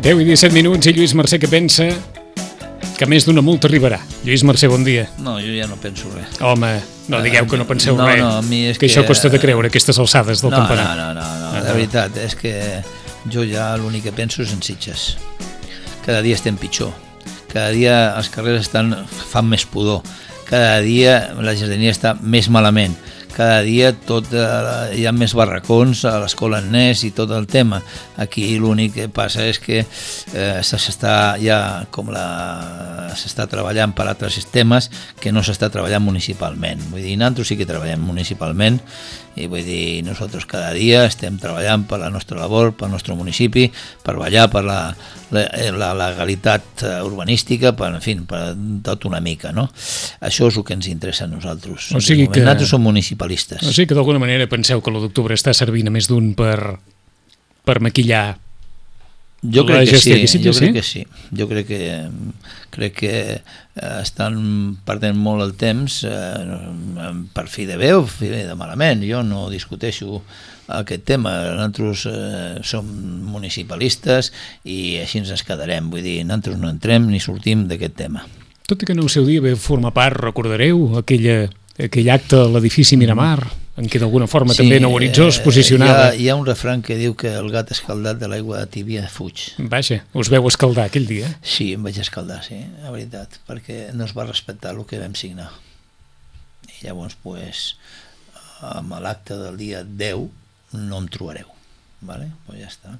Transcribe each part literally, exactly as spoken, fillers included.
deu i disset minuts i Lluís Mercè que pensa que més d'una multa arribarà. Lluís Mercè, bon dia. No, jo ja no penso res. Home, no digueu que no penseu no, res, no, a mi és que, que això costa de creure, aquestes alçades del no, campanar. No, no, no, no, de veritat, és que jo ja l'únic que penso és en Sitges. Cada dia estem pitjor, cada dia els carrers estan, fan més pudor, cada dia la jardinera està més malament, cada dia tot, eh, hi ha més barracons a l'escola Agnès i tot el tema. Aquí l'únic que passa és que eh, s'està ja com la s'està treballant per altres sistemes que no s'està treballant municipalment. Vull dir, nosaltres sí que treballem municipalment i vull dir, nosaltres cada dia estem treballant per la nostra labor, pel nostre municipi, per vetllar per la, la, la legalitat urbanística, per, en fi, per tot una mica, no? Això és el que ens interessa a nosaltres. O sigui que... Nosaltres som municipalistes. O sigui que d'alguna manera penseu que l'u d'octubre està servint a més d'un per, per maquillar jo crec la que gestió sí, que Sitges, jo crec sí? que sí. Jo crec que, crec que estan perdent molt el temps eh, per fi de bé o fi de malament. Jo no discuteixo aquest tema. Nosaltres eh, som municipalistes i així ens quedarem. Vull dir, nosaltres no entrem ni sortim d'aquest tema. Tot i que en el seu dia va formar part, recordareu, aquella, aquell acte a l'edifici Miramar, en què d'alguna forma sí, també Nou Horitzó es posicionava. Hi ha, hi ha un refrany que diu que el gat escaldat de l'aigua tibia fuig. Vaja, us veu escaldar aquell dia? Sí, em vaig escaldar, sí, la veritat, perquè no es va respectar el que vam signar. I llavors, pues, amb l'acte del dia deu no em trobareu, vale? Pues ja està.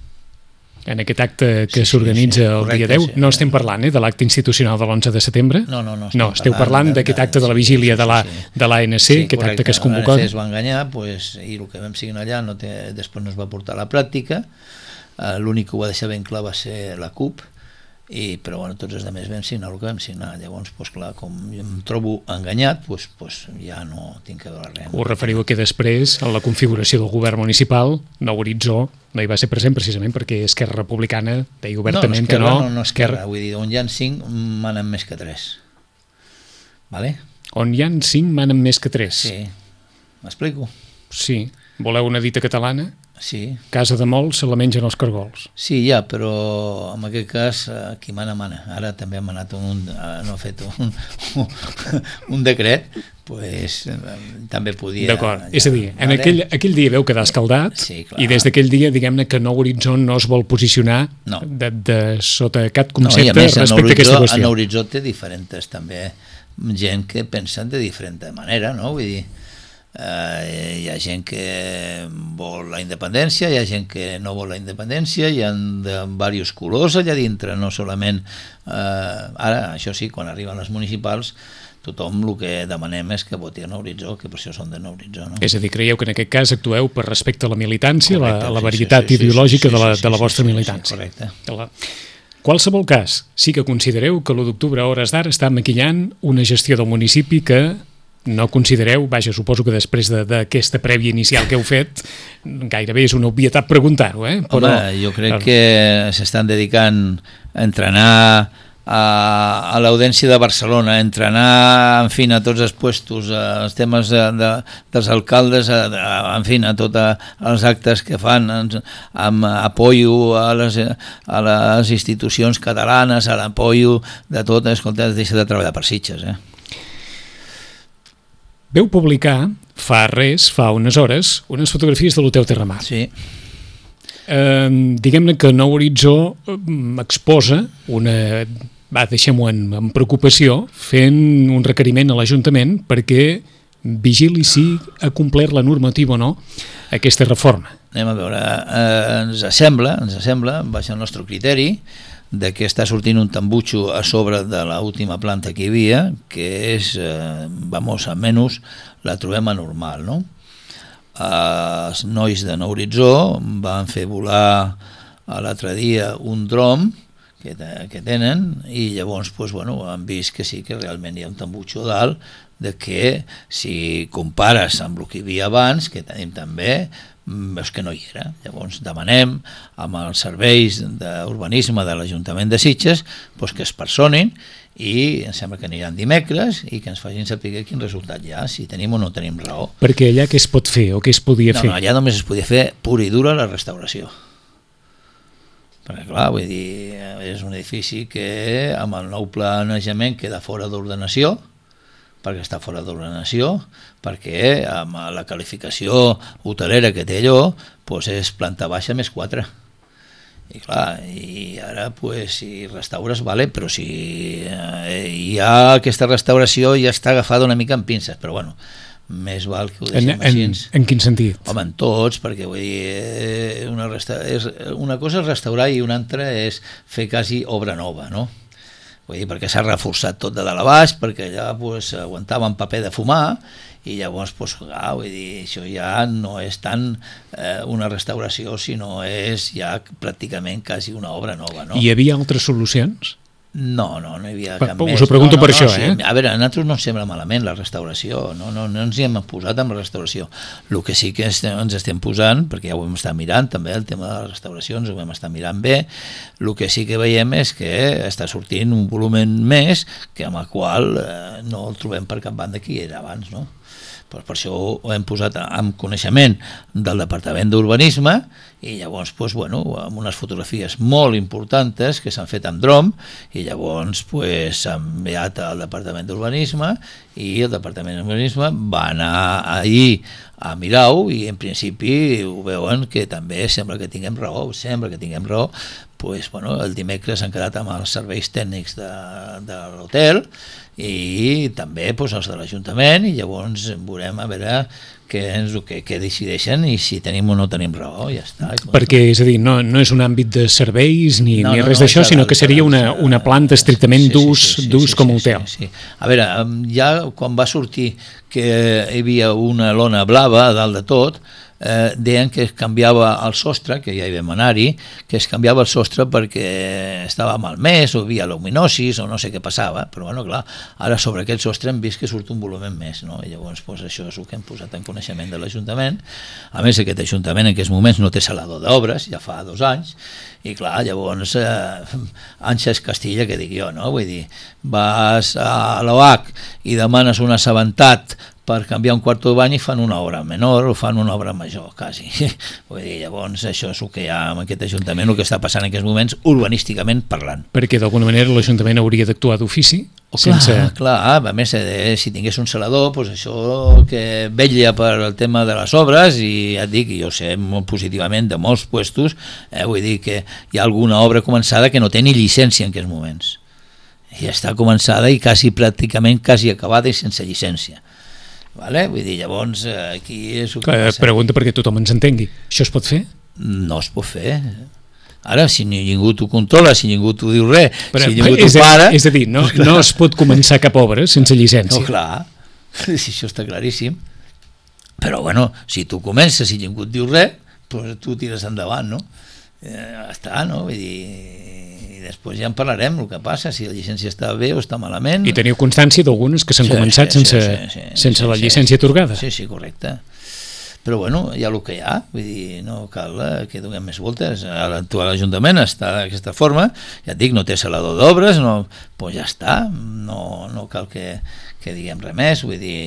En aquest acte que sí, s'organitza sí, sí, el dia deu, sí, no estem parlant eh, de l'acte institucional de l'onze de setembre? No, no, no. No, esteu parlant d'aquest acte de la vigília de la, de l'A N C, sí, aquest acte que es convoca. L'A N C es va enganyar, pues, i el que vam signar allà no té, després no es va portar a la pràctica. Uh, l'únic que ho va deixar ben clar va ser la CUP, i, però bueno, tots els altres vam signar el que vam signar. Llavors, pues, clar, com em trobo enganyat, pues, pues, ja no tinc que veure res. Us referiu a que després, en la configuració del govern municipal, Nou Horitzó no hi va ser present precisament perquè Esquerra Republicana deia obertament no, no, que no. No, no, Esquerra, vull dir, on hi ha cinc manen més que tres. Vale? On hi ha cinc manen més que tres. Sí, m'explico? Sí. Voleu una dita catalana? Sí. Casa de molts se la mengen els cargols. Sí, ja, però en aquest cas qui mana, mana. Ara també ha manat un, no ha fet un, un, un decret, pues, també podia... D'acord, ja, és a dir, en aquell, aquell dia veu quedar escaldat, sí, i des d'aquell dia, diguem-ne que Nou Horitzó no es vol posicionar no. de, de sota cap concepte no, més, respecte a aquesta qüestió. En Nou Horitzó té diferents també gent que pensen de diferent manera, no? Vull dir, Uh, hi ha gent que vol la independència, hi ha gent que no vol la independència, hi ha de diversos colors allà dintre, no solament uh, ara, això sí, quan arriben les municipals tothom el que demanem és que voti a Nou Horitzó, que per això són de Nou Horitzó, no? És a dir, creieu que en aquest cas actueu per respecte a la militància, correcte, la, la sí, varietat sí, sí, ideològica sí, sí, de la, sí, de la sí, vostra sí, militància. Sí, correcte. La... Qualsevol cas, sí que considereu que l'u d'octubre a hores d'ara està maquillant una gestió del municipi que no considereu, vaja, suposo que després d'aquesta prèvia inicial que heu fet, gairebé és una obvietat preguntar-ho, eh? Però... Home, jo crec que s'estan dedicant a entrenar a, a l'Audiència de Barcelona, a entrenar, en fi, a tots els puestos, als temes de, de, dels alcaldes, a, a, en fi, a tots els actes que fan, amb apoyo a les, a les institucions catalanes, a l'apoyo de tot, escolta, deixa de treballar per Sitges, eh? Veu publicar, fa res, fa unes hores, unes fotografies de l'Hotel Terramar. Sí. Eh, diguem-ne que Nou Horitzó exposa una... Va, deixem-ho en, en preocupació, fent un requeriment a l'Ajuntament perquè vigili si ha complert la normativa o no aquesta reforma. Anem a veure, eh, ens sembla, ens sembla, baix el nostre criteri, de que està sortint un tambutxo a sobre de l'última planta que hi havia, que és, eh, vamos, almenys la trobem anormal, no? Eh, els nois de Nou Horitzó van fer volar l'altre dia un dron que, que tenen i llavors pues, bueno, han vist que sí que realment hi ha un tambutxo dalt, de que si compares amb el que hi havia abans, que tenim també, veus que no hi era. Llavors demanem amb els serveis d'urbanisme de l'Ajuntament de Sitges pues, que es personin i em sembla que aniran dimecres i que ens facin saber quin resultat hi ha, si tenim o no tenim raó. Perquè allà què es pot fer o què es podia no, fer? No, allà només es podia fer pura i dura la restauració. perquè clar, vull dir, és un edifici que amb el nou planejament queda fora d'ordenació, perquè està fora d'ordenació, perquè amb la qualificació hotelera que té allò, doncs és planta baixa més quatre. I clar, i ara pues, si restaures, vale, però si eh, ja aquesta restauració ja està agafada una mica amb pinces, però bueno, més val que ho deixem en, així. En, en quin sentit? Home, en tots, perquè vull dir, una, resta... és, una cosa és restaurar i una altra és fer quasi obra nova, no? Vull dir, perquè s'ha reforçat tot de dalt a baix, perquè allà pues, aguantaven paper de fumar, i llavors pues, ah, vull dir, això ja no és tant eh, una restauració, sinó és ja pràcticament quasi una obra nova, no? Hi havia altres solucions? No, no, no hi havia per, cap més. Us ho pregunto no, no, per no, això, sí. eh? A veure, a nosaltres no ens sembla malament la restauració, no, no, no ens hi hem posat amb la restauració. El que sí que estem, ens estem posant, perquè ja ho hem estat mirant també, el tema de la restauració ens ho hem estat mirant bé, el que sí que veiem és que està sortint un volum més que amb el qual eh, no el trobem per cap banda que hi era abans, no? Pues per això ho hem posat en coneixement del Departament d'Urbanisme i llavors pues, bueno, amb unes fotografies molt importants que s'han fet amb dron i llavors pues, s'ha enviat al Departament d'Urbanisme i el Departament d'Urbanisme va anar ahir a mirar-ho i en principi ho veuen que també sembla que tinguem raó, sembla que tinguem raó. Pues, bueno, el dimecres han quedat amb els serveis tècnics de, de l'hotel i també pues, els de l'Ajuntament i llavors veurem a veure què, ens, què, què decideixen i si tenim o no tenim raó, ja està. Perquè, és a dir, no, no és un àmbit de serveis ni, no, ni no, res no, d'això, sinó dalt, que seria una, una planta estrictament sí, d'ús sí, sí, d'ús sí, com sí, hotel. Sí, sí. A veure, ja quan va sortir que hi havia una lona blava a dalt de tot, eh, deien que es canviava el sostre, que ja hi vam anar-hi, que es canviava el sostre perquè estava malmès o hi havia luminosis o no sé què passava, però bueno, clar, ara sobre aquest sostre hem vist que surt un volum més, no? I llavors pues, això és el que hem posat en coneixement de l'Ajuntament. A més, aquest Ajuntament en aquests moments no té salador d'obres, ja fa dos anys, i clar, llavors eh, Àngels Castilla, que dic jo, no? Vull dir, vas a l'O H i demanes un assabentat per canviar un quarto de bany i fan una obra menor o fan una obra major, quasi. Vull dir, llavors això és el que hi ha en aquest Ajuntament, el que està passant en aquests moments urbanísticament parlant. Perquè d'alguna manera l'Ajuntament hauria d'actuar d'ofici? Oh, sense... Clar, clar, a més, eh, si tingués un salador, pues això que vetlla per el tema de les obres, i ja et dic, jo sé molt positivament de molts puestos, eh, vull dir que hi ha alguna obra començada que no té ni llicència en aquests moments. I està començada i quasi pràcticament quasi acabada i sense llicència. Vale? Vull dir, llavors aquí és el que Clar, passa. pregunta perquè tothom ens entengui. Això es pot fer? No es pot fer. Ara, si ningú t'ho controla, si ningú t'ho diu res, Però, si ningú és, t'ho para... És a dir, no, no es pot començar cap obra sense llicència. No, clar, si això està claríssim. Però, bueno, si tu comences i ningú et diu res, doncs tu tires endavant, no? Eh, està, no? Vull dir... I després ja en parlarem el que passa, si la llicència està bé o està malament. I teniu constància d'algunes que s'han Sí, començat sí, sense, sí, sí, sí, sense sí, la sí, llicència atorgada. Sí, sí, correcte. Però bueno, hi ha el que hi ha, vull dir, no cal que donem més voltes. L'actual Ajuntament està d'aquesta forma, ja et dic, no té salador d'obres, no, doncs ja està, no, no cal que, que diguem res més, vull dir,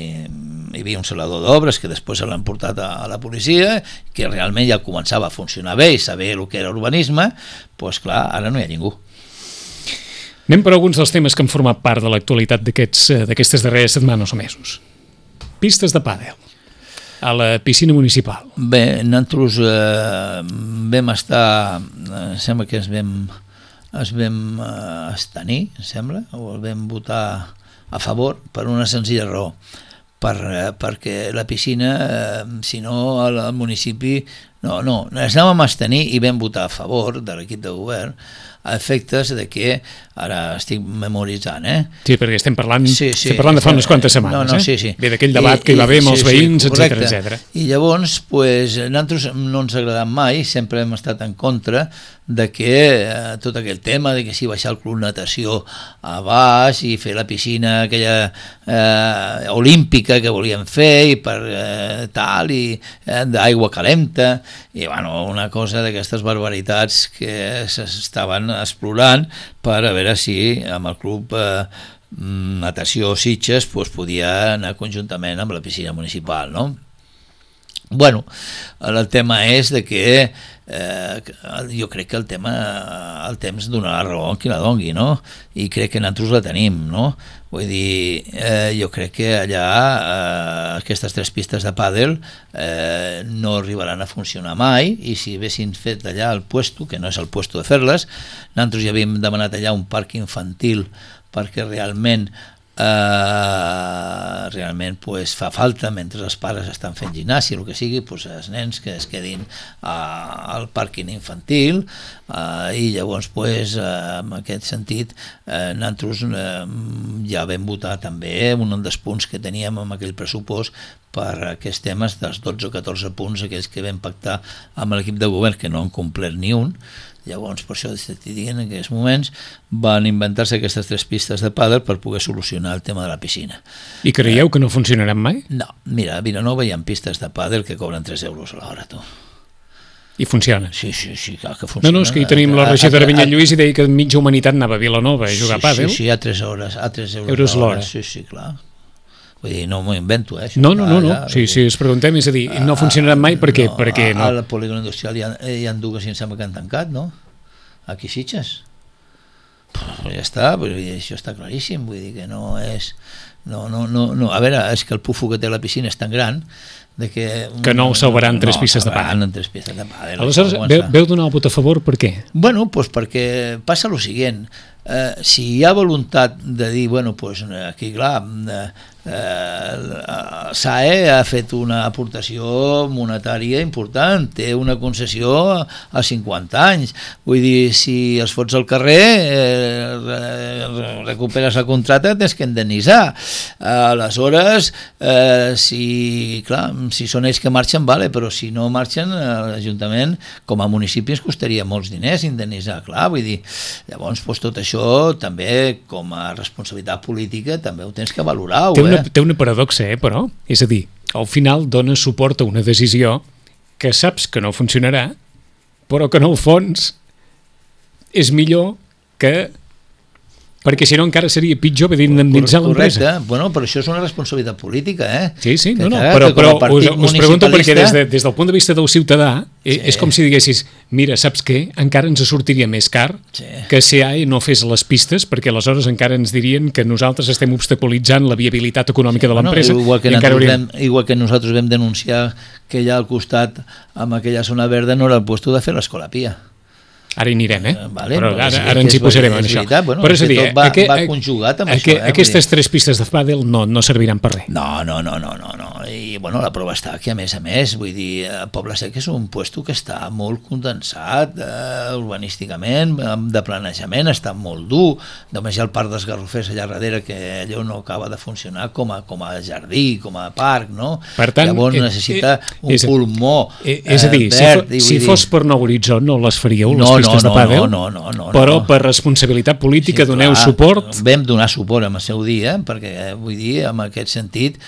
hi havia un salador d'obres que després se l'han portat a, a la policia, que realment ja començava a funcionar bé i saber el que era urbanisme, doncs clar, ara no hi ha ningú. Anem per alguns dels temes que han format part de l'actualitat d'aquestes darreres setmanes o mesos. Pistes de pàdel a la piscina municipal. Bé, nosaltres eh, vam estar, eh, sembla que es vam, es vam eh, abstenir, sembla, o el vam votar a favor per una senzilla raó, per, eh, perquè la piscina, eh, si no al, al municipi, no, no, ens anàvem a abstenir i vam votar a favor de l'equip de govern a efectes de que, ara estic memoritzant, eh? Sí, perquè estem parlant, sí, sí, estem parlant de fa unes quantes setmanes, no, no, eh? sí, sí. Ve d'aquell debat I, que hi va haver amb els sí, veïns, sí, etcètera, etcètera. I llavors, pues, nosaltres no ens ha agradat mai, sempre hem estat en contra de que eh, tot aquell tema de que si baixar el club natació a baix i fer la piscina aquella eh, olímpica que volien fer i per eh, tal, i eh, d'aigua calenta, i bueno, una cosa d'aquestes barbaritats que s'estaven explorant per a veure si amb el club eh, natació Sitges pues, podia anar conjuntament amb la piscina municipal, no? Bueno, el tema és de que eh, jo crec que el tema, el temps donarà raó a qui la dongui, no? I crec que nosaltres la tenim, no? Vull dir, eh, jo crec que allà eh, aquestes tres pistes de pàdel eh, no arribaran a funcionar mai, i si haguessin fet allà el puesto, que no és el puesto de fer-les, nosaltres ja havíem demanat allà un parc infantil perquè realment Uh, realment pues, fa falta, mentre els pares estan fent gimnàsia o el que sigui, pues, els nens que es quedin uh, al pàrquing infantil, uh, i llavors pues, uh, en aquest sentit uh, nosaltres uh, ja vam votar també un dels punts que teníem amb aquell pressupost per aquests temes dels dotze o catorze punts aquells que vam pactar amb l'equip de govern, que no han complert ni un. Llavors, per això estic dient, en aquests moments van inventar-se aquestes tres pistes de pàdel per poder solucionar el tema de la piscina. I creieu que no funcionaran mai? No, mira, a Vilanova hi ha pistes de pàdel que cobren tres euros a l'hora, tu. I funciona? Sí, sí, sí, clar que funciona. No, no, és que hi tenim la regidora Vinyet Lluís i deia que mitja humanitat anava a Vilanova a jugar sí, a pàdel. Sí, sí, a tres hores, a tres euros, euros l'hora. l'hora. Sí, sí, clar. Vull dir, no m'ho invento, eh? No, no, no, no. Sí, sí, es preguntem, és a dir, no funcionaran mai perquè, no, perquè no. A la polígon industrial hi ha, hi ha dues i em sembla que han tancat, no? Aquí a Sitges. Pues ja està, vull dir, això està claríssim, vull dir que no és... No, no, no, no. A veure, és que el pufo que té la piscina és tan gran de que... Que no ho salvaran no, tres pistes de pàdel. No, tres pistes de pàdel. Aleshores, veu, veu donar el vot a favor, per què? Bueno, pues perquè passa el següent. Eh, si hi ha voluntat de dir, bueno, pues aquí, clar, eh, eh, S A E ha fet una aportació monetària important, té una concessió a cinquanta anys, vull dir, si els fots al carrer, eh, recuperes el contracte, tens que indemnitzar. Eh, aleshores, eh, si, clar, si són ells que marxen, vale, però si no marxen, l'Ajuntament, com a municipi, ens costaria molts diners indemnitzar, clar, vull dir, llavors, pues, tot això també, com a responsabilitat política, també ho tens que valorar. Té una, té una paradoxa, eh, però? És a dir, al final dones suport a una decisió que saps que no funcionarà, però que en el fons és millor que... Perquè si no encara seria pitjor haver d'indemnitzar l'empresa. Correcte, bueno, però això és una responsabilitat política, eh? Sí, sí, no, no, que, però, però us, us pregunto perquè des, de, des del punt de vista del ciutadà sí. És com si diguessis, mira, saps què? Encara ens sortiria més car sí. que S A E no fes les pistes, perquè aleshores encara ens dirien que nosaltres estem obstaculitzant la viabilitat econòmica sí, de l'empresa. Bueno, igual, que hauríem... vam, igual que nosaltres vam denunciar que allà al costat, amb aquella zona verda, no era el lloc de fer l'escola Pia. Ara hi anirem, eh? Vale, però ara, ara, ara ens hi posarem en això. Veritat, bueno, però és a dir, tot va, aqu va conjugat amb aqu això. Eh? Aquestes tres pistes de pàdel no, no serviran per res. No, no, no, no, no, no. I bueno, la prova està que a més a més, vull dir, Poble Sec és un puesto que està molt condensat eh, urbanísticament, de planejament, està molt dur, només hi ha el parc dels Garrofers allà darrere que allò no acaba de funcionar com a, com a jardí, com a parc, no? Per tant, llavors eh, necessita un és, pulmó eh, és a dir, eh, verd. Si, fo, si fos per Nou Horitzó no les faríeu, les no, pistes no, de pàdel? No, no, no, no, però no. per responsabilitat política sí, doneu clar, suport? Vam donar suport en el seu dia, perquè vull dir, en aquest sentit,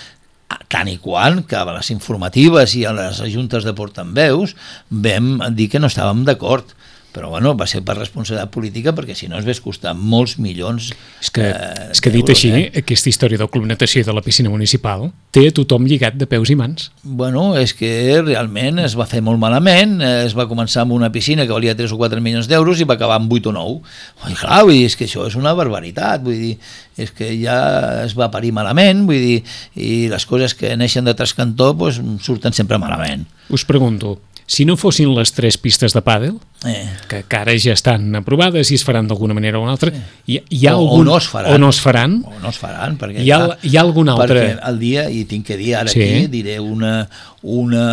tant i quant que a les informatives i a les juntes de portaveus vam dir que no estàvem d'acord, però bueno, va ser per responsabilitat política perquè si no es ves costar molts milions és que, eh, és que dit així, eh? aquesta història del Club Natació i de la piscina municipal té a tothom lligat de peus i mans. Bueno, és que realment es va fer molt malament, es va començar amb una piscina que valia tres o quatre milions d'euros i va acabar amb vuit o nou. I clar, vull dir, és que això és una barbaritat, vull dir, és que ja es va parir malament, vull dir, i les coses que neixen de trascantó pues, surten sempre malament. Us pregunto, si no fossin les tres pistes de pàdel, eh. que, que ara ja estan aprovades i es faran d'alguna manera o una altra, hi, hi ha o, algun, o, no es faran, o no es faran, o no es faran perquè, hi, ha, hi ha algun altre... Perquè el dia, i tinc que dir ara sí. aquí, diré una, una...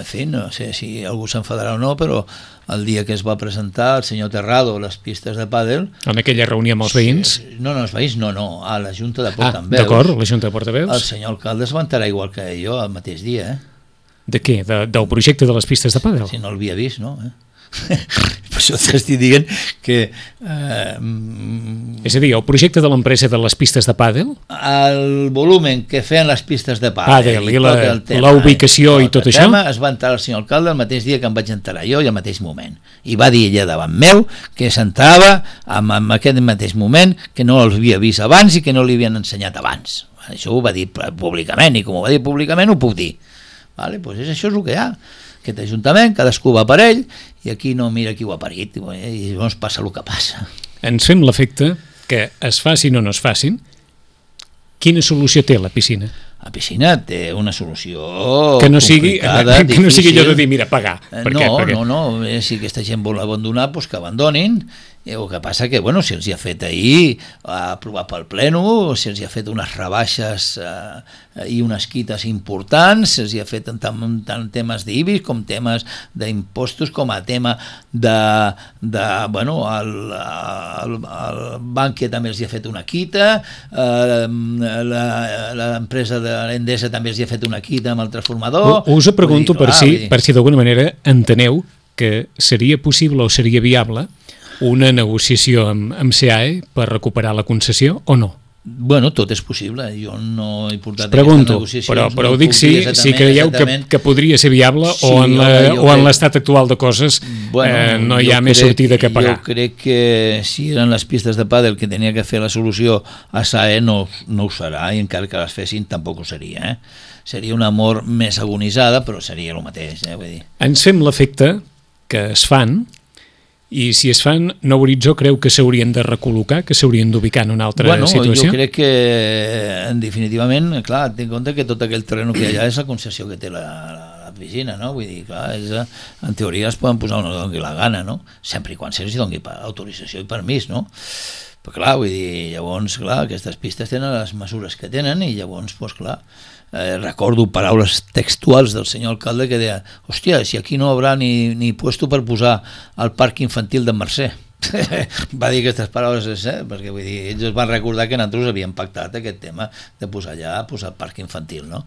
En fi, no sé si algú s'enfadarà o no, però el dia que es va presentar el senyor Terrado les pistes de pàdel... En aquella reunió amb els veïns? No, no, els veïns no, no, a la Junta de Portaveus. Ah, d'acord, la Junta de Portaveus. El senyor alcalde es va enterar igual que jo el mateix dia, eh? De què? De, del projecte de les pistes de pàdel? Si no l'havia vist, no? Eh? Per això t'estic dient que... Eh, és a dir, el projecte de l'empresa de les pistes de pàdel? El volumen que feien les pistes de pàdel, pàdel i, i la ubicació i tot, tot això? Tema, es va enterar el senyor alcalde el mateix dia que em vaig enterar jo i al mateix moment. I va dir ella davant meu que s'entrava en, en aquest mateix moment, que no l'havia vist abans i que no li havien ensenyat abans. Això ho va dir públicament i com ho va dir públicament ho puc dir. Vale, pues és, això és el que hi ha. aquest ajuntament, cadascú va per ell, i aquí no mira qui ho ha parit, i llavors passa el que passa. Ens fem l'efecte que es facin o no es facin. Quina solució té la piscina? La piscina té una solució que no sigui, complicada, que no sigui allò de dir, mira, pagar. Per no, què? Perquè... no, no, si aquesta gent vol abandonar, doncs que abandonin. El que passa que, bueno, si els hi ha fet ahir aprovar pel pleno, si els hi ha fet unes rebaixes eh, i unes quites importants, si els hi ha fet tant, tant temes d'I B I S com temes d'impostos, com a tema de, de bueno, el, el, el Bankia també els hi ha fet una quita, eh, l'empresa de l'Endesa també els hi ha fet una quita amb el transformador. Us ho pregunto dir, per, clar, si, per si d'alguna manera enteneu que seria possible o seria viable una negociació amb, amb C A E per recuperar la concessió o no? Bueno, tot és possible, jo no he portat pregunto, aquestes negociacions. Però, però no ho dic si, si creieu que, que podria ser viable sí, o en la, o en l'estat actual de coses bueno, eh, no hi ha més crec, sortida que pagar. Jo crec que si eren les pistes de pàdel que tenia que fer la solució a S A E no, no ho serà, i encara que les fessin tampoc ho seria. Eh? Seria una mort més agonitzada, però seria el mateix. Eh? Vull dir. Ens fem l'efecte que es fan, i si es fan, Nou Horitzó creu que s'haurien de recol·locar, que s'haurien d'ubicar en una altra bueno, situació? Jo crec que, en definitivament, clar, tinc en compte que tot aquell terreny que hi ha allà és la concessió que té la, la, la piscina, no? Vull dir, clar, és, en teoria es poden posar on els doni la gana, no? Sempre i quan se'ls doni autorització i permís, no? Però clar, vull dir, llavors, clar, aquestes pistes tenen les mesures que tenen i llavors, doncs clar, eh, recordo paraules textuals del senyor alcalde que deia, hòstia, si aquí no hi haurà ni, ni puesto per posar el parc infantil de Mercè. Va dir aquestes paraules, eh? Perquè vull dir, ells es van recordar que nosaltres havíem pactat aquest tema de posar allà, posar el parc infantil, no?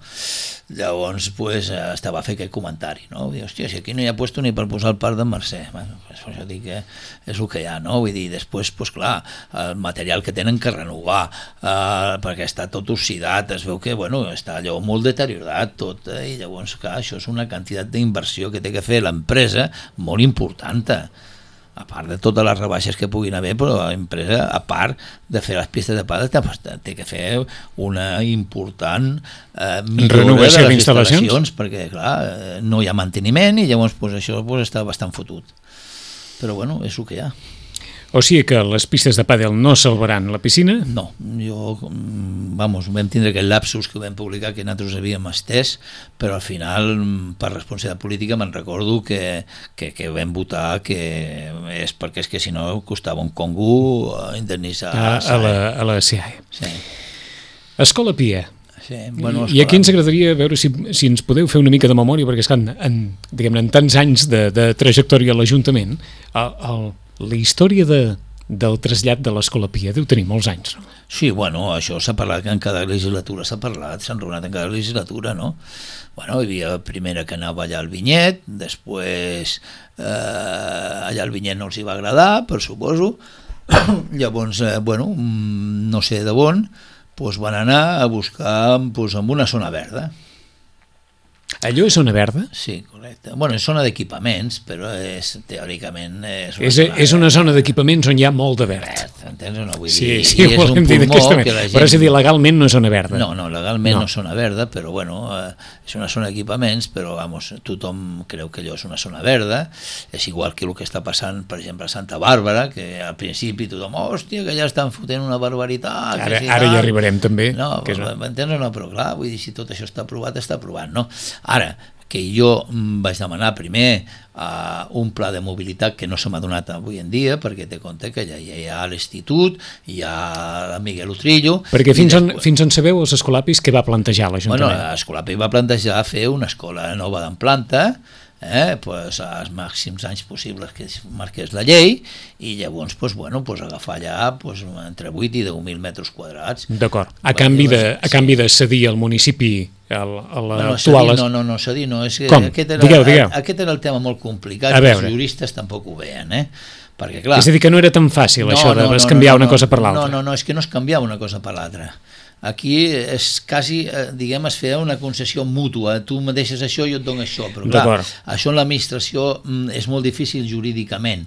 Llavors, pues, estava a fer aquest comentari, no? Vull dir, hòstia, si aquí no hi ha puesto ni per posar el parc de Mercè, bueno, pues, això dic que és el que hi ha, no? Vull dir, després, pues, clar, el material que tenen que renovar, eh, perquè està tot oxidat, es veu que, bueno, està allò molt deteriorat tot, eh? I llavors, clar, això és una quantitat d'inversió que té que fer l'empresa molt important, a part de totes les rebaixes que puguin haver, però l'empresa, a part de fer les pistes de pàdel, té que fer una important eh, millora de les instal·lacions, perquè clar, no hi ha manteniment i llavors pues, això pues, està bastant fotut. Però bueno, és el que hi ha. O sigui que les pistes de pàdel no salvaran la piscina? No, jo, vamos, vam tindre aquest lapsus que vam publicar que nosaltres havíem estès, però al final, per responsabilitat política, me'n recordo que, que, que vam votar que és perquè és que si no costava un congo indemnitzar a, a, la, a la C A E. Sí. Escola Pia. Sí, bueno, I aquí ens agradaria veure si, si ens podeu fer una mica de memòria, perquè és que en, en, diguem-ne, en tants anys de, de trajectòria a l'Ajuntament, el, el la història de, del trasllat de l'Escola Pia deu tenir molts anys, no? Sí, bueno, això s'ha parlat, en cada legislatura s'ha parlat, s'ha enraonat en cada legislatura, no? Bueno, hi havia la primera que anava allà al Vinyet, després eh, allà al Vinyet no els hi va agradar, per suposo, llavors, eh, bueno, no sé de on, doncs van anar a buscar doncs, en una zona verda. Allò és zona verda? Sí, correcte. Bueno, és zona d'equipaments, però és, teòricament... És una, és, zona, és una zona d'equipaments on hi ha molt de verd. verd entens o no? Vull sí, dir, sí, ho volem dir d'aquesta manera. Gent... Però és a dir, legalment no és zona verda. No, no, legalment no, no és zona verda, però bueno, eh, és una zona d'equipaments, però vamos, tothom creu que allò és una zona verda. És igual que el que està passant, per exemple, a Santa Bàrbara, que al principi tothom, hòstia, que ja estan fotent una barbaritat. Ara, si ara hi arribarem també. No, que és una... m'entens o no? Però clar, vull dir, si tot això està aprovat, està aprovat, no? Ara, que jo vaig demanar primer uh, un pla de mobilitat que no se m'ha donat avui en dia, perquè té compte que ja, ja hi ha l'Institut, hi ha Miguel Utrillo... Perquè fins, després... on, fins on sabeu els escolapis que va plantejar l'Ajuntament? Bueno, l'Escolapi va plantejar fer una escola nova en planta, eh, pues, als màxims anys possibles que marqués la llei, i llavors pues, bueno, pues, agafar allà pues, entre vuit i deu mil metres quadrats. D'acord. A, canvi de, a canvi de cedir al municipi a l'actual... No, no, no, cedir no. És que Com? Aquest era, digueu, digueu. Aquest era el tema molt complicat, que els juristes tampoc ho veien, eh? Perquè, clar, és a dir, que no era tan fàcil no, això de no, no, canviar no, no, una cosa per l'altra. No, no, no, és que no es canviava una cosa per l'altra. Aquí és quasi, diguem, es feia una concessió mútua, tu me deixes això i jo et dono això, però clar, això en l'administració és molt difícil jurídicament.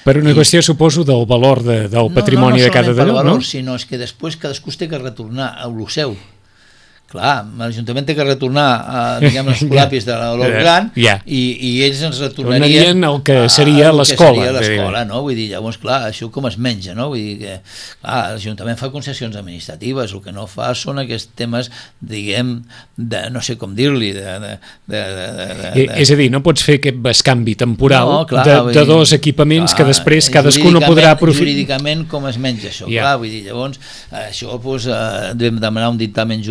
Per una I... qüestió, suposo, del valor de, del patrimoni no, no, no de cada d'allò, no? Sinó és que després cadascú té que retornar a lo seu. Clar, l'Ajuntament té que retornar a, diguem, els colapis de l'Olor Gran yeah. i, i ells ens retornarien el que seria l'escola. l'escola, no? Vull dir, llavors, clar, això com es menja, no? Vull dir que, clar, l'Ajuntament fa concessions administratives, el que no fa són aquests temes, diguem, de, no sé com dir-li, de, de, de, de, de, de... És a dir, no pots fer aquest bescanvi temporal no, clar, de, de dir, dos equipaments clar, que després cadascú no podrà aprofitar. Jurídicament, com es menja això? Yeah. Clar, vull dir, llavors, això, doncs, eh, vam demanar un dictamen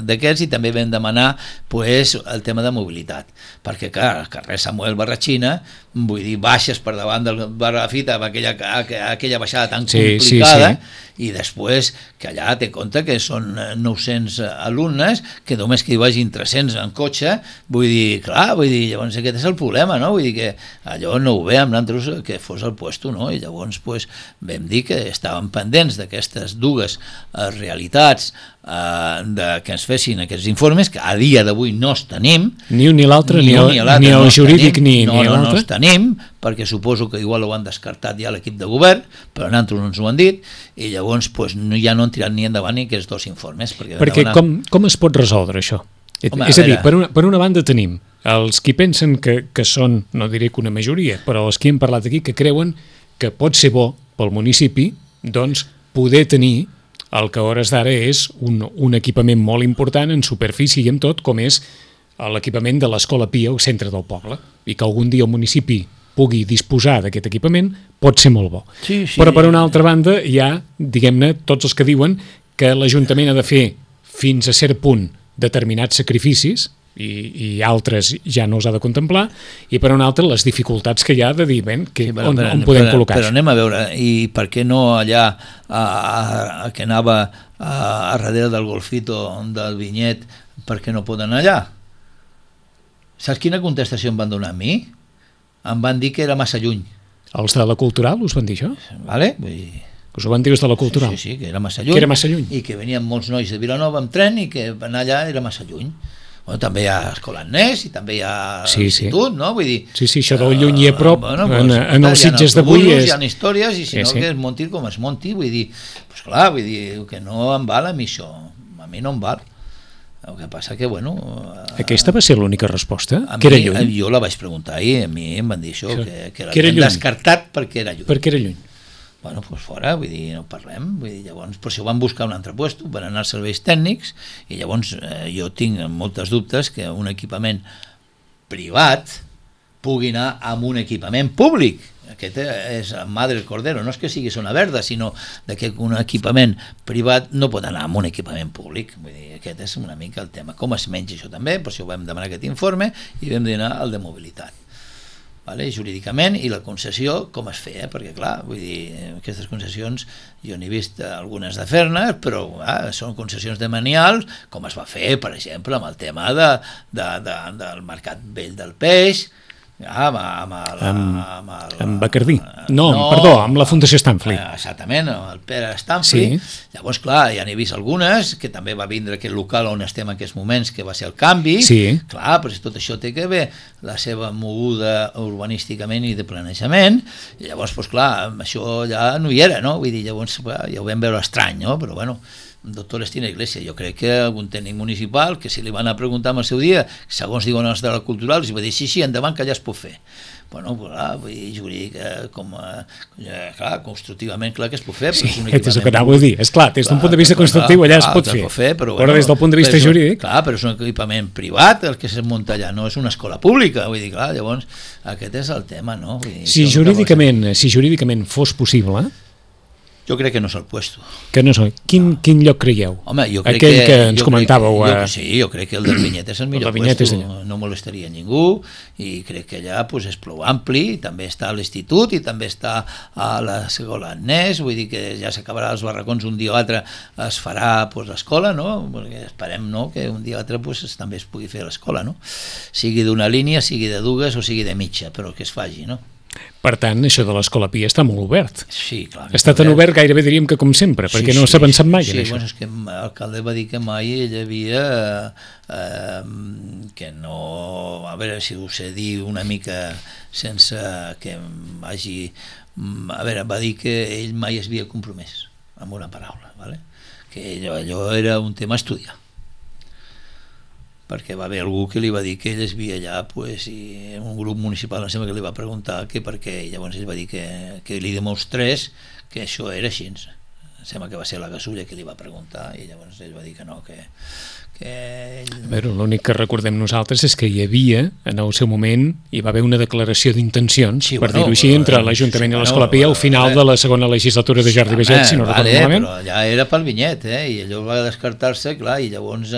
d'aquests i també vam demanar pues, el tema de mobilitat, perquè clar, el carrer Samuel Barratxina, vull dir, baixes per davant del bar de la Fita amb aquella, aquella baixada tan sí, complicada, sí, sí. I després que allà té compte que són nou-cents alumnes, que només que hi vagin tres-cents en cotxe, vull dir, clar, vull dir, llavors aquest és el problema, no? Vull dir que allò no ho veiem nosaltres que fos el puesto, no? I llavors pues, vam dir que estàvem pendents d'aquestes dues eh, realitats eh, de, que ens fessin aquests informes, que a dia d'avui no els tenim. Ni un ni l'altre, ni, ni, el, ni el no jurídic ni, no, ni no, l'altre. No els tenim, perquè suposo que igual ho han descartat ja l'equip de govern, però nosaltres no ens ho han dit, i llavors pues, no, ja no han tirat ni endavant ni aquests dos informes. Perquè, perquè demanar... com, com es pot resoldre això? Home, és a, a dir, per una, per una banda tenim els qui pensen que, que són, no diré que una majoria, però els que hem parlat aquí, que creuen que pot ser bo pel municipi doncs, poder tenir el que a hores d'ara és un, un equipament molt important en superfície i en tot, com és l'equipament de l'Escola Pia al centre del poble, i que algun dia el municipi pugui disposar d'aquest equipament pot ser molt bo. Sí, sí. Però per una altra banda hi ha, diguem-ne, tots els que diuen que l'Ajuntament ha de fer fins a cert punt determinats sacrificis i, i altres ja no els ha de contemplar, i per una altra les dificultats que hi ha de dir ben, que, sí, però, on, on podem però, col·locar. Però anem a veure, i per què no allà a, a, a, que anava a, a darrere del golfito del Vinyet, per què no poden allà? Saps quina contestació em van donar a mi? Em van dir que era massa lluny. Els de la Cultural us van dir això? Vale? Vull dir... Us ho van dir els de la Cultural? Sí, sí, sí, que era massa lluny. Que era massa lluny. I que venien molts nois de Vilanova amb tren i que anar allà era massa lluny. Bueno, també hi ha Escola Agnès i també hi ha sí, institut, sí. no? Vull dir... Sí, sí, això del lluny i a prop, uh, bueno, pues, en, en els Sitges d'avui és... Hi ha històries i si sí, no sí. que es monti com es monti, vull dir... Pues clar, vull dir que no em val a mi això. A mi no em val. El que passa que, bueno... Aquesta va ser l'única resposta? A que mi, era lluny? Jo la vaig preguntar i a mi em van dir això, sí. que, que l'havien descartat perquè era lluny. Perquè era lluny. Bueno, doncs fora, vull dir, no parlem, vull dir, llavors, per això van buscar un altre lloc, van anar als serveis tècnics, i llavors eh, jo tinc moltes dubtes que un equipament privat pugui anar amb un equipament públic. Aquest és mà del Cordero, no és que sigui zona verda, sinó que un equipament privat no pot anar amb un equipament públic. Vull dir, aquest és una mica el tema. Com es menja això també, per això vam demanar aquest informe i vam demanar el de mobilitat. Vale? Jurídicament, i la concessió com es feia, perquè clar, vull dir, aquestes concessions jo n'he vist algunes de fer-ne, però ah, són concessions de manials, com es va fer, per exemple, amb el tema de, de, de, del Mercat Vell del Peix, amb, amb, el, amb, amb, el, amb Bacardí, no, no, perdó, amb la Fundació Stanfli. Exactament, amb el Pere Stanfli. Sí. Llavors, clar, ja n'he vist algunes, que també va vindre aquest local on estem en aquests moments, que va ser el canvi. Sí. Clar, però tot això té que haver la seva moguda urbanísticament i de planejament, i llavors, doncs, clar, això ja no hi era, no? Vull dir, llavors ja ho vam veure estrany, no? Però, bueno, doctor Estina Iglesia, jo crec que algun tècnic municipal, que si li van a preguntar en el seu dia, segons diuen els de la Cultural, els va dir, sí, sí, endavant, que allà es pot fer. Bueno, clar, vull dir, jurídic, com a, clar, constructivament, clar que es pot fer. Sí, és el que anava a dir. És clar, des d'un punt de vista constructiu allà es pot fer, fer però, però des del punt de vista jurídic... Clar, però és un equipament privat el que es munta allà, no és una escola pública, vull dir, clar, llavors aquest és el tema, no? Vull dir, si jurídicament, si jurídicament fos possible... Jo crec que no és el puesto. Que no és el... Quin, no. quin lloc creieu? Home, jo crec Aquell que, que ens jo comentàveu. Crec, jo, sí, jo crec que el del Vinyet és el millor el puesto, no molestaria ningú, i crec que allà pues, és prou ampli, i també està a l'institut, i també està a l'escola Agnès, vull dir que ja s'acabarà els barracons un dia o altre, es farà pues, l'escola, no? Perquè esperem no? que un dia o altre pues, també es pugui fer l'escola, no? Sigui d'una línia, sigui de dues o sigui de mitja, però que es faci, no? Per tant, això de l'Escola Pia està molt obert. Sí, clar. Està tan obert gairebé diríem que com sempre, sí, perquè no sí, s'ha pensat mai sí, en això. Bueno, és que l'alcalde va dir que mai ell havia eh, que no... A veure si ho sé dir una mica sense que hagi... A veure, va dir que ell mai es havia compromès amb una paraula, ¿vale? Que allò, allò era un tema a estudiar. perquè va haver algú que li va dir que ell es via allà, pues, i un grup municipal em sembla que li va preguntar que per què, i llavors ell va dir que, que li demostrés que això era així. Em sembla que va ser la Gasulla que li va preguntar, i llavors ell va dir que no, que... que ell... A veure, l'únic que recordem nosaltres és que hi havia, en el seu moment, hi va haver una declaració d'intencions, sí, per bueno, dir-ho així, però, entre l'Ajuntament sí, i l'Escola Pia al final de la segona legislatura de Jordi Baget, si no vale, recordo malament. Però ja era pel vinyet, eh? I allò va descartar-se, clar, i llavors...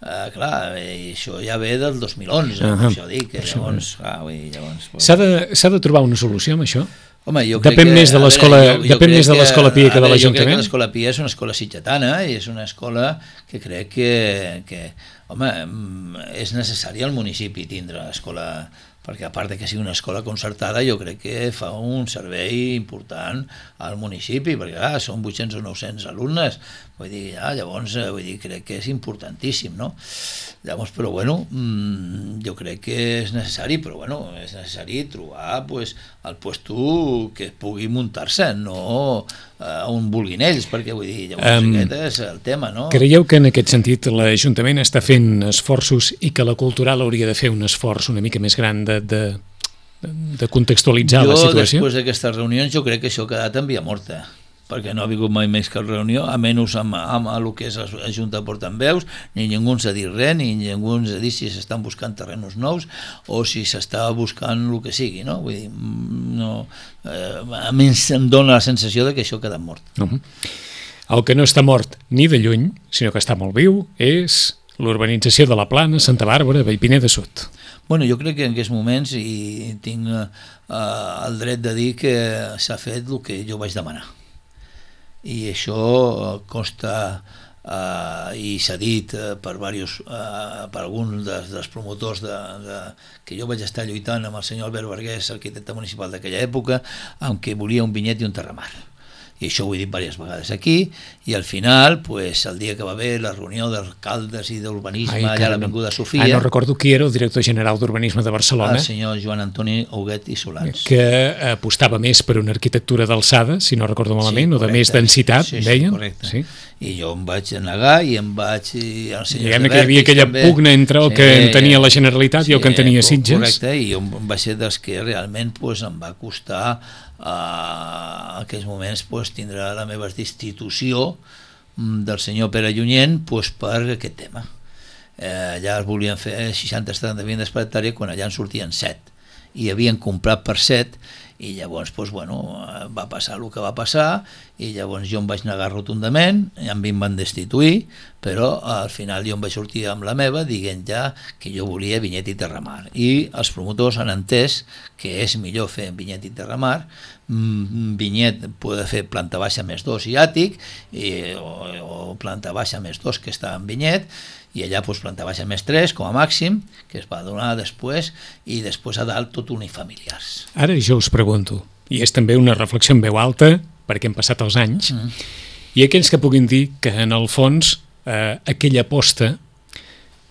Uh, clar, i això ja ve del dos mil onze, uh -huh. això dic, que llavors, clar, ui, llavors... S'ha de, s'ha de trobar una solució amb això? Home, jo crec depèn que, més de l'escola veure, jo, jo depèn més de l'escola Pia que de l'Ajuntament? Jo crec que l'escola Pia és una escola sitgetana i és una escola que crec que, que home, és necessari al municipi tindre l'escola, perquè a part de que sigui una escola concertada, jo crec que fa un servei important al municipi, perquè clar, són vuit-cents o nou-cents alumnes, vull dir, ja, llavors, vull dir, crec que és importantíssim, no? Llavors, però bueno, jo crec que és necessari, però bueno, és necessari trobar, pues, el puesto que pugui muntar-se, no uh, on vulguin ells, perquè vull dir, llavors um, aquest és el tema, no? Creieu que en aquest sentit l'Ajuntament està fent esforços i que la Cultural hauria de fer un esforç una mica més gran de, de, de contextualitzar jo, la situació? Jo, després d'aquestes reunions, jo crec que això ha quedat en via morta, perquè no ha vingut mai més cap reunió, a menys amb, amb el que és la Junta de Portaveus, ni ningú ens ha dit res, ni ningú ens ha dit si s'estan buscant terrenos nous o si s'està buscant el que sigui, no? Vull dir, no, eh, a mi em dona la sensació de que això ha quedat mort. Uh-huh. El que no està mort ni de lluny, sinó que està molt viu, és l'urbanització de la Plana, Santa Bàrbara, Vallpiner de Sud. Bueno, jo crec que en aquests moments i tinc eh, el dret de dir que s'ha fet el que jo vaig demanar. I això consta eh, i s'ha dit eh, per, varios, eh, per alguns dels, dels promotors de, de, que jo vaig estar lluitant amb el senyor Albert Vergués, arquitecte municipal d'aquella època, amb què volia un vinyet i un terramar. I això ho he dit diverses vegades aquí, i al final, pues, el dia que va haver la reunió d'alcaldes i d'urbanisme allà a l'Avinguda Sofia... Ah, no recordo qui era el director general d'Urbanisme de Barcelona. El senyor Joan Antoni Huguet i Solans. Que apostava més per una arquitectura d'alçada, si no recordo malament, sí, o de més densitat, sí, sí, deien. Correcte. Sí. I jo em vaig negar i em vaig... Diguem que hi havia aquella també, pugna entre el sí, que en tenia la Generalitat sí, i el que en tenia Sitges. Correcte, i jo vaig ser dels que realment pues, em va costar a aquells moments pues, tindrà la meva destitució del senyor Pere Llunyent pues, per aquest tema. Eh, allà es volien fer seixanta setanta vivendes per hectàrea quan allà en sortien set i havien comprat per set i llavors pues, bueno, va passar el que va passar i llavors jo em vaig negar rotundament i a mi em van destituir, però al final jo em vaig sortir amb la meva dient ja que jo volia vinyet i terramar i els promotors han entès que és millor fer vinyet i terramar. Vinyet pot fer planta baixa més dos i àtic i, o, o planta baixa més dos que està en vinyet i allà pues, planta baixa més tres com a màxim, que es va donar després, i després a dalt tot unifamiliars. Ara jo us pregunto, i és també una reflexió en veu alta, perquè han passat els anys, mm. i aquells que puguin dir que en el fons eh, aquella aposta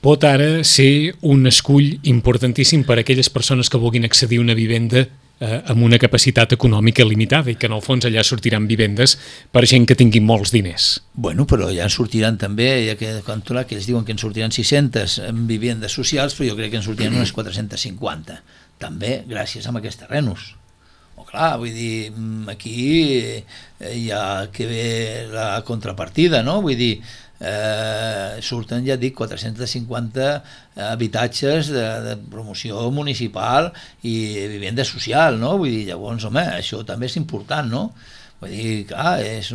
pot ara ser un escull importantíssim per a aquelles persones que vulguin accedir a una vivenda eh, amb una capacitat econòmica limitada i que en el fons allà sortiran vivendes per gent que tingui molts diners. Bueno, però ja en sortiran també, ja que, que ells diuen que en sortiran sis-centes vivendes socials, però jo crec que en sortiran unes quatre-centes cinquanta, també gràcies a aquests terrenos. O clar, vull dir, aquí hi ha que ver la contrapartida, no? Vull dir, eh, surten, ja dic, quatre-cents cinquanta habitatges de, de promoció municipal i vivenda social, no? Vull dir, llavors, home, això també és important, no? Vull dir, clar, és,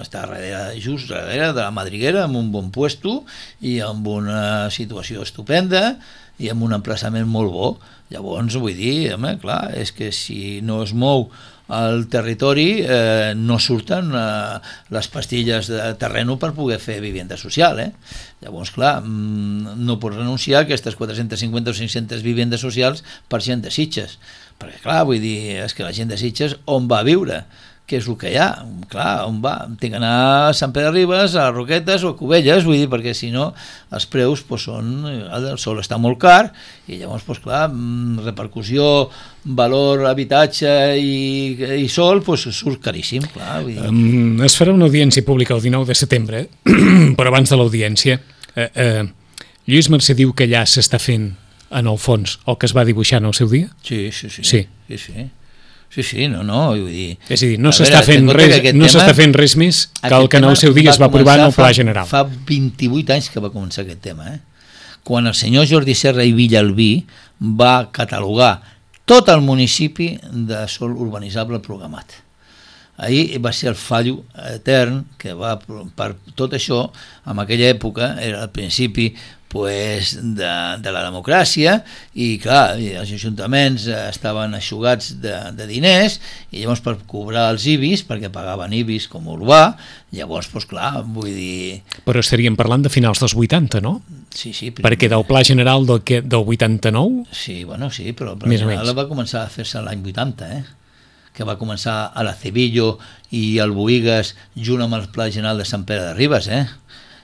està darrere, just darrere de la Madriguera, amb un bon puesto i amb una situació estupenda i amb un emplaçament molt bo. Llavors, vull dir, home, clar, és que si no es mou el territori eh, no surten eh, les pastilles de terreno per poder fer vivenda social, eh? Llavors, clar, no pots renunciar a aquestes quatre-cents cinquanta o cinc-centes vivendes socials per gent de Sitges, perquè, clar, vull dir, és que la gent de Sitges on va a viure? Què és el que hi ha? Clar, on va? Tinc d'anar a Sant Pere de Ribes, a Roquetes o a Cubelles, vull dir, perquè si no els preus pues, són, el sol està molt car i llavors, pues, clar, repercussió, valor, habitatge i, i sol, pues, surt caríssim. Clar, vull dir. Um, es farà una audiència pública el dinou de setembre, però abans de l'audiència, eh, eh, Lluís Mercè diu que allà s'està fent, en el fons, el que es va dibuixar en el seu dia? Sí, sí, sí. Sí. Sí, sí. Sí, sí, no, no, vull dir... És a dir, no s'està fent, res, no s'està fent res més que el que en el seu dia es va aprovar en el Pla General. Fa vint-i-vuit anys que va començar aquest tema, eh? Quan el senyor Jordi Serra i Villalbí va catalogar tot el municipi de sòl urbanitzable programat. Ahir va ser el fallo etern que va per tot això, en aquella època era el principi pues, de, de la democràcia i clar, els ajuntaments estaven aixugats de, de diners i llavors per cobrar els I B I S, perquè pagaven I B I S com a urbà, llavors, pues, clar, vull dir... Però estaríem parlant de finals dels vuitanta, no? Sí, sí. Primer... Perquè del Pla General del, que, del vuitanta-nou... Sí, bueno, sí, però el Pla General va començar a fer-se l'any vuitanta, eh? Que va començar a la Cebillo i al Boïgues junt amb el Pla General de Sant Pere de Ribes, eh?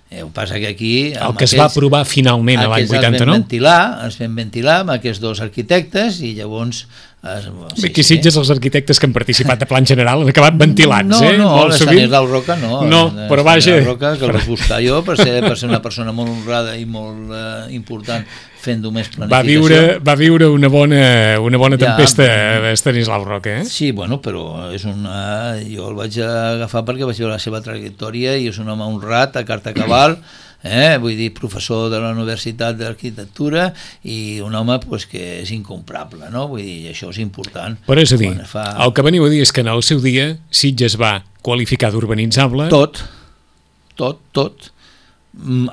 El que passa que aquí... El que aquells, es va aprovar finalment a l'any vuitanta-nou? Els vam ventilar, els vam ventilar amb aquests dos arquitectes i llavors... Es, sí, aquí Sitges sí. Els arquitectes que han participat a Plan General han acabat ventilats, no, eh? No, no, l'Estanislau Roca no. No, però vaja... Roca, que el vaig buscar jo per ser, per ser una persona molt honrada i molt eh, important fent només planificació. Va viure, va viure una bona, una bona tempesta ja, Estanislau Roca, eh? Sí, bueno, però és una... jo el vaig agafar perquè vaig veure la seva trajectòria i és un home honrat, a carta cabal, eh? Vull dir, professor de la Universitat d'Arquitectura i un home pues, que és incomparable, no? Vull dir, això és important. Però és a dir, fa... el que veniu a dir és que en el seu dia Sitges va qualificar d'urbanitzable... Tot, tot, tot.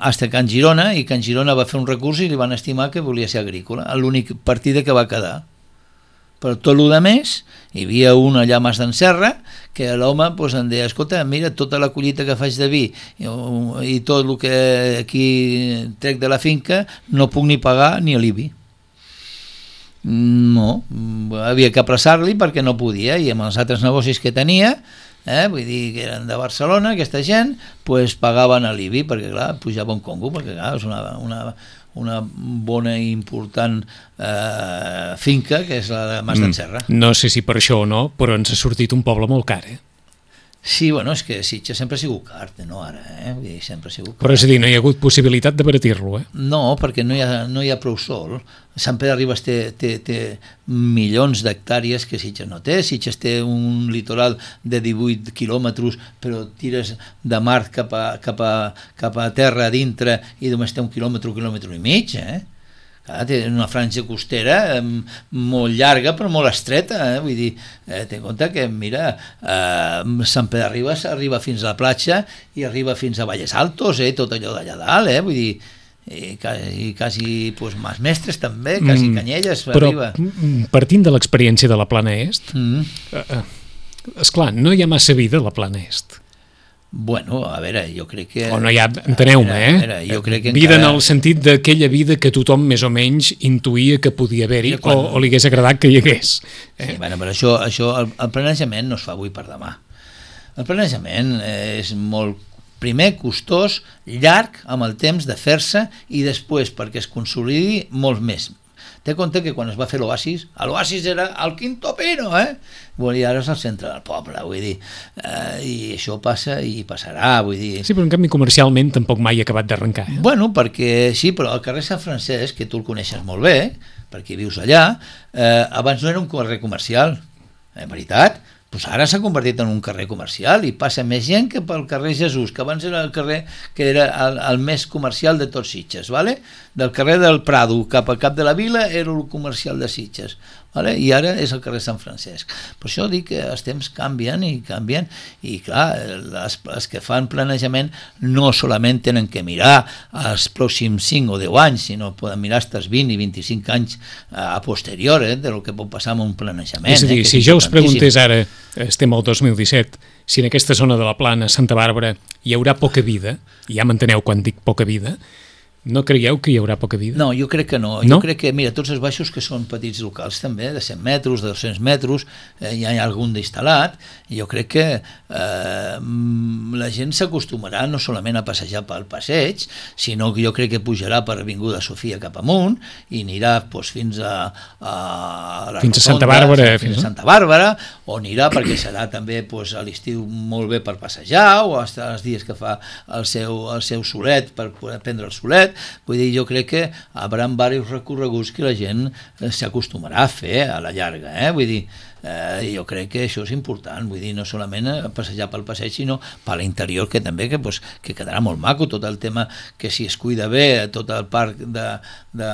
Hasta Can Girona, i Can Girona va fer un recurs i li van estimar que volia ser agrícola, l'únic partida que va quedar. Però tot el que més, hi havia un allà a Mas d'en Serra, que l'home pues, em deia, escolta, mira, tota la collita que faig de vi i, i tot el que aquí trec de la finca, no puc ni pagar ni l'I B I. No, havia que apressar-li perquè no podia, i amb els altres negocis que tenia, eh, vull dir que eren de Barcelona, aquesta gent, pues, pagaven l'I B I, perquè clar, pujava un congo, perquè clar, és una, una, una bona i important eh, finca, que és la de Mas d'en Serra. No sé si per això o no, però ens ha sortit un poble molt car, eh? Sí, bueno, és que Sitges sempre ha sigut car, no ara, eh? Vull dir, sempre ha sigut car. Però és a dir, no hi ha hagut possibilitat d'abaratir-lo, eh? No, perquè no hi ha, no hi ha prou sol. Sant Pere de Ribes té, té, té milions d'hectàrees que Sitges no té. Sitges té un litoral de divuit quilòmetres, però tires de mar cap a, cap a, cap a terra a dintre i només té un quilòmetre, un quilòmetre i mig, eh? Clar, té una franja costera eh, molt llarga però molt estreta, eh? Vull dir, eh, té en compte que, mira, eh, Sant Pere de Ribes arriba fins a la platja i arriba fins a Valles Altos, eh? Tot allò d'allà dalt, eh? Vull dir, i quasi, quasi pues, Mas Mestres també, quasi mm, Canyelles però, arriba. Partint de l'experiència de la Plana Est, mm. eh, esclar, no hi ha massa vida a la Plana Est. Bueno, a veure, jo crec que... O no hi ha, enteneu-me, eh? Veure, jo crec que vida encara... en el sentit d'aquella vida que tothom més o menys intuïa que podia haver-hi quan... o, o li hagués agradat que hi hagués. Eh? Sí, bueno, però això, això el, el planejament no es fa avui per demà. El planejament és molt, primer, costós, llarg amb el temps de fer-se i després, perquè es consolidi, molt més. Té compte que quan es va fer l'Oasis, l'Oasis era el Quinto Pino, eh? I ara és el centre del poble, vull dir, eh, i això passa i passarà, vull dir... Sí, però en canvi comercialment tampoc mai ha acabat d'arrencar. Eh? Bueno, perquè sí, però el carrer Sant Francesc, que tu el coneixes molt bé, perquè vius allà, eh, abans no era un carrer comercial, en veritat, doncs ara s'ha convertit en un carrer comercial i passa més gent que pel carrer Jesús, que abans era el carrer que era el, el més comercial de tots Sitges, ¿vale? Del carrer del Prado cap a cap de la vila era el comercial de Sitges, ¿vale? I ara és el carrer Sant Francesc. Per això dic que els temps canvien i canvien i clar, les, les que fan planejament no solament tenen que mirar els pròxims cinc o deu anys, sinó poden mirar fins als vint i vint-i-cinc anys a posterior, eh, del que pot passar amb un planejament. És a dir, eh, si jo us preguntés ara, estem al dos mil disset, si en aquesta zona de la Plana, Santa Bàrbara, hi haurà poca vida, ja m'enteneu quan dic poca vida, no creieu que hi haurà poca vida? No, jo crec que no. no. Jo crec que, mira, tots els baixos que són petits locals també, de cent metres, de dos-cents metres, eh, hi ha algun d'instal·lat, i jo crec que eh, la gent s'acostumarà no solament a passejar pel passeig, sinó que jo crec que pujarà per Avinguda Sofia cap amunt i anirà doncs, fins a, a la fins Rotonda, a Santa Bàrbara, fins a Santa Bàrbara, o anirà perquè serà també doncs, a l'estiu molt bé per passejar, o fins als dies que fa el seu, el seu solet per poder prendre el solet. vull dir, jo crec que hi haurà diversos recorreguts que la gent s'acostumarà a fer a la llarga, eh? Vull dir, eh, jo crec que això és important, vull dir, no solament passejar pel passeig, sinó per l'interior, que també que, pues, que quedarà molt maco, tot el tema que si es cuida bé, tot el parc de, de,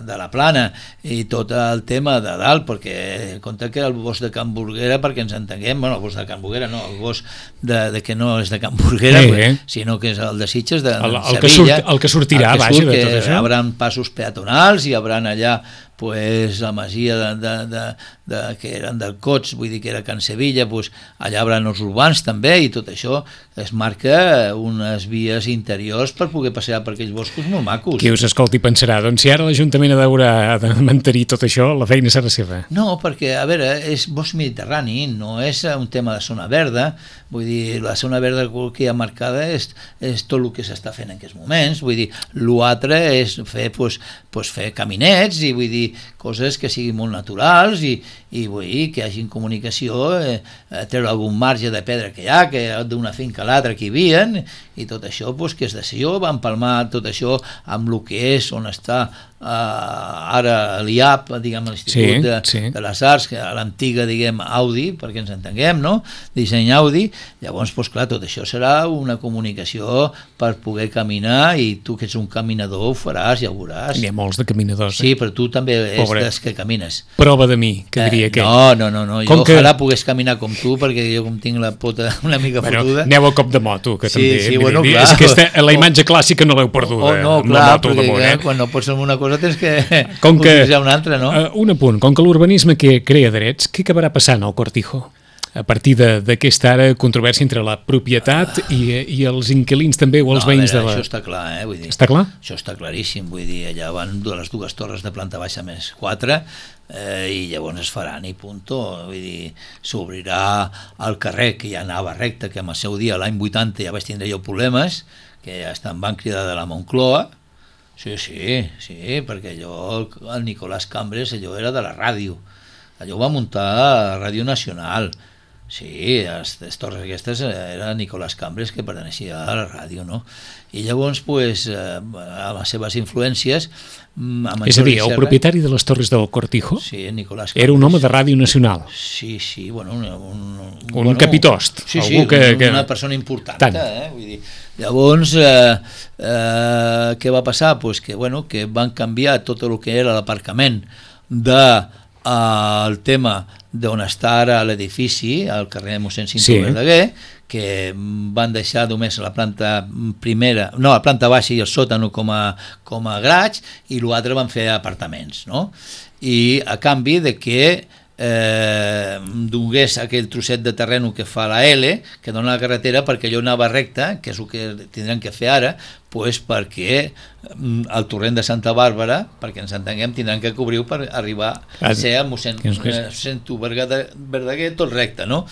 de la Plana i tot el tema de dalt, perquè compte que el bosc de Can Burguera, perquè ens entenguem, bueno, el bosc de Can Burguera no, el bosc de, de que no és de Can Burguera, sí, pues, sinó que és el de Sitges, de, el, de el, que surt, el que sortirà, el que vaja, surt, de tot això. Hi haurà passos peatonals, hi haurà allà pues, la masia de, de, de, de, que eren del Cots, vull dir que era Can Sevilla, pues, allà hi haurà els urbans també, i tot això es marca unes vies interiors per poder passejar per aquells boscos molt macos. Qui us escolti pensarà, doncs si ara l'Ajuntament ha d'haurà de mantenir tot això, la feina serà seva. No, perquè, a veure, és bosc mediterrani, no és un tema de zona verda, vull dir, la zona verda que hi ha marcada és, és tot el que s'està fent en aquests moments, vull dir, l'altre és fer, pues, pues fer caminets i vull dir, coses que siguin molt naturals i, i vull dir, que hi hagi comunicació, eh, treure algun marge de pedra que hi ha, que d'una finca a l'altra que hi havia, i tot això, pues, que és decisió, va empalmar tot això amb el que és, on està Uh, ara l'I A P, diguem, l'Institut sí, de, sí. de les Arts, que a l'antiga, diguem, Audi, perquè ens entenguem, no? Disseny Audi, llavors, doncs, clar, tot això serà una comunicació per poder caminar, i tu que ets un caminador ho faràs, ja ho veuràs. N'hi ha molts de caminadors. Sí, però tu també Pobre. és dels que camines. Prova de mi, que diria eh, que... No, no, no, no. Com jo que... ojalà pogués caminar com tu, perquè jo com tinc la pota una mica bueno, fotuda... Aneu a cop de moto, que sí, també... Sí, bueno, dir, clar. És aquesta, la imatge clàssica no l'heu perduda. Oh, no, amb clar, la moto perquè damunt, eh? quan no pots fer una cosa tens que com que, utilitzar una altra, no? Uh, un apunt, com que l'urbanisme que crea drets, què acabarà passant al Cortijo? A partir d'aquesta ara controvèrsia entre la propietat i, i els inquilins també, o els no, veïns veure, de la... Això està clar, eh? Vull dir, està clar? Això està claríssim, vull dir, allà van les dues torres de planta baixa més quatre, eh, i llavors es faran i punto, vull dir, s'obrirà el carrer, que ja anava recte, que en el seu dia, l'any vuitanta, ja vaig tindre jo problemes, que ja em van cridar de la Moncloa. Sí, sí, sí, perquè allò, el Nicolás Cambres, allò era de la ràdio, allò ho va muntar a Ràdio Nacional. Sí, les, les torres aquestes era Nicolás Cambres, que perteneixia a la ràdio, no? I llavors, pues, eh, a les seves influències... És a dir, el propietari de les torres del Cortijo sí, Nicolás Cambres, era un home de Ràdio Nacional. Sí, sí, bueno... Un, un, un bueno, capitost. Sí, algú sí, que, que... una persona important. Tant. Eh? Vull dir, llavors, eh, eh, què va passar? Pues que, bueno, que van canviar tot el que era l'aparcament de eh, el tema d'on està ara l'edifici, al carrer Mossèn Cinto sí. Verdaguer, que van deixar només la planta primera, no, la planta baixa i el sòtano com a, com a graig, i l'altre van fer apartaments, no? I a canvi de que eh, donés aquell trosset de terreno que fa la L, que dona la carretera, perquè allò anava recte, que és el que tindran que fer ara, pues perquè el torrent de Santa Bàrbara, perquè ens entenguem, tindran que cobrir per arribar a ser al mossèn Cinto Verdaguer tot recte, no?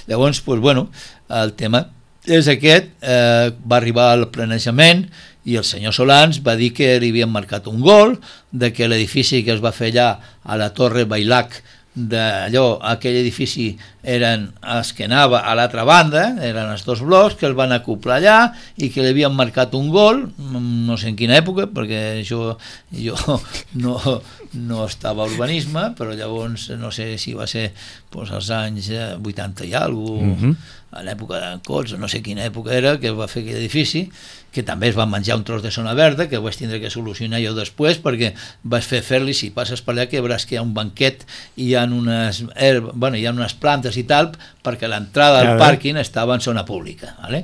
Llavors, pues, bueno, el tema és aquest, eh, va arribar al planejament i el senyor Solans va dir que li havien marcat un gol, de que l'edifici que es va fer allà a la Torre Bailac, d'allò, aquell edifici eren els que anava a l'altra banda, eren els dos blocs que el van acoplar allà i que li havien marcat un gol, no sé en quina època, perquè jo, jo no, no estava a urbanisme, però llavors no sé si va ser doncs, als anys vuitanta i alguna cosa, mm-hmm. a l'època d'en Cots, no sé quina època era, que va fer aquell edifici, que també es va menjar un tros de zona verda, que ho vaig tindre que solucionar jo després, perquè vaig fer fer-li, si passes per allà, que veuràs que hi ha un banquet i hi ha unes, herb, bueno, hi ha unes plantes i tal, perquè l'entrada al pàrquing estava en zona pública, ¿vale?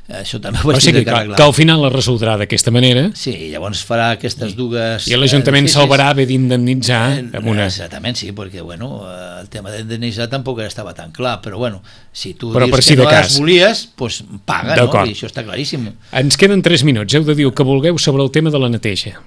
Això també ho vaig tindre que arreglar. Que al final es resoldrà d'aquesta manera. Sí, llavors farà aquestes dues... I l'Ajuntament salvarà haver d'indemnitzar amb una... Exactament, sí, perquè bueno, el tema d'indemnitzar tampoc estava tan clar, però bueno, si tu però dius si que no cas. les volies, doncs paga, no? I això està claríssim. Ens queden tres minuts, heu de dir el que vulgueu sobre el tema de la neteja.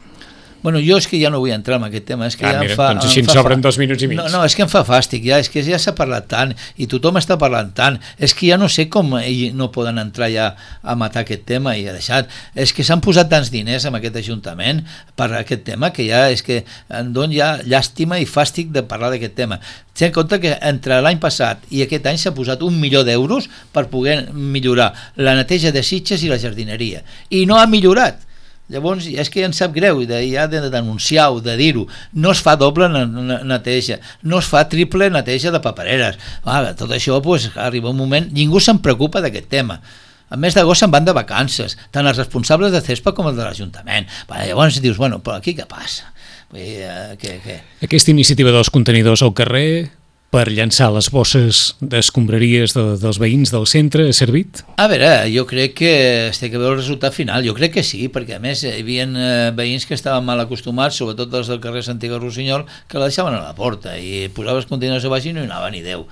Bueno, jo és que ja no vull entrar en aquest tema, és que ah, ja mira, em fa... doncs així em ens fa sobren dos minuts i mig. No, no, és que em fa fàstic, ja, és que ja s'ha parlat tant, i tothom està parlant tant, és que ja no sé com no poden entrar ja a matar aquest tema i ha deixat, és que s'han posat tants diners en aquest Ajuntament per aquest tema que ja és que em dona ja llàstima i fàstic de parlar d'aquest tema. Ten en compte que entre l'any passat i aquest any s'ha posat un milió d'euros per poder millorar la neteja de Sitges i la jardineria, i no ha millorat. Llavors, és que ja em sap greu, de, ja de denunciar-ho, de dir-ho. No es fa doble neteja, no es fa triple neteja de papereres. Ah, tot això, pues, arriba un moment, ningú se'n preocupa d'aquest tema. A més d'agost se'n van de vacances, tant els responsables de CESPA com els de l'Ajuntament. Llavors dius, bueno, però aquí què passa? Vull dir, eh, què, què? Aquesta iniciativa dels contenidors al carrer per llançar les bosses d'escombraries de, dels veïns del centre ha servit? A veure, jo crec que es té que veure el resultat final, jo crec que sí, perquè a més hi havia eh, veïns que estaven mal acostumats, sobretot els del carrer Santiago Rossinyol, que la deixaven a la porta i posaves contenidors a baix i no hi anava ni Déu.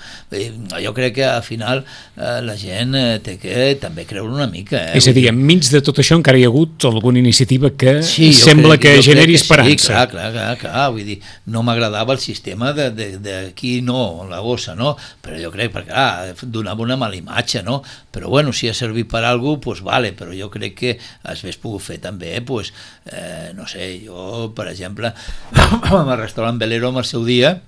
Jo crec que al final eh, la gent eh, té que també creure una mica. Eh? És a dir, enmig de tot això encara hi ha hagut alguna iniciativa que sí, sembla crec, que generi que esperança. Sí, clar, clar, clar, clar, vull dir, no m'agradava el sistema de, de, de qui no, la bossa, no? Però jo crec, perquè ah, donava una mala imatge, no? Però bueno, si ha servit per a alguna cosa, pues vale, però jo crec que es hagués pogut fer també, pues, eh, no sé, jo, per exemple, amb el restaurant Velero, en el seu dia,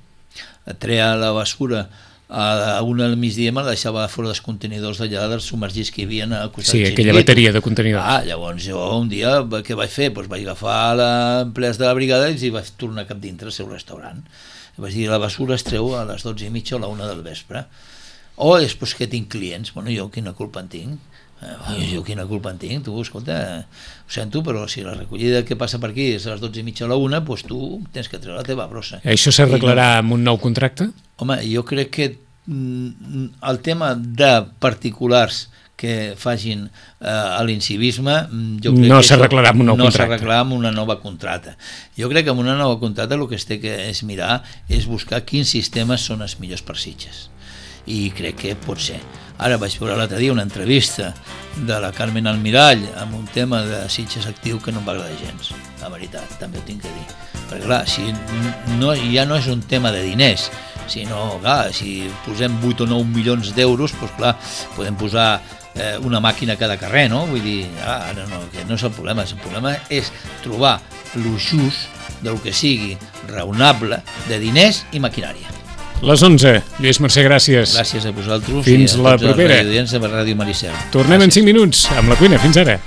treia la basura a una al migdia, me la deixava fora dels contenidors d'allà, dels submergits que hi havia al costat. Sí, aquella bateria de contenidors. Ah, llavors jo un dia, què vaig fer? Pues vaig agafar l'empleats de la brigada i els vaig tornar cap dintre al seu restaurant. Vaig dir, la basura es treu a les dotze i mitja o a la una del vespre. O després que tinc clients, bueno, jo quina culpa en tinc? Eh, jo quina culpa en tinc? Tu, escolta, ho sento, però si la recollida que passa per aquí és a les dotze i mitja o a la una, doncs tu tens que treure la teva brossa. Això s'arreglarà no... amb un nou contracte? Home, jo crec que el tema de particulars que facin eh, l'incivisme no s'arreglarà amb un nou no contracte. s'arreglarà amb una nova contracta. Jo crec que amb una nova contracta el que es té que és mirar és buscar quins sistemes són els millors per Sitges, i crec que pot ser. Ara vaig veure l'altre dia una entrevista de la Carmen Almirall amb un tema de Sitges Actiu que no em va agradar gens, la veritat, també ho tinc que dir, perquè clar, si no, ja no és un tema de diners, sinó, clar, si posem vuit o nou milions d'euros, doncs clar, podem posar eh, una màquina a cada carrer, no? Vull dir, ah, no, no, que no és el problema, el problema és trobar lo just del que sigui raonable de diners i maquinària. Les onze. Lluís Mercè, gràcies. Gràcies a vosaltres. Fins i a la tots propera. els radioaudients de Ràdio Maricel. Tornem gràcies. En cinc minuts amb La Cuina. Fins ara.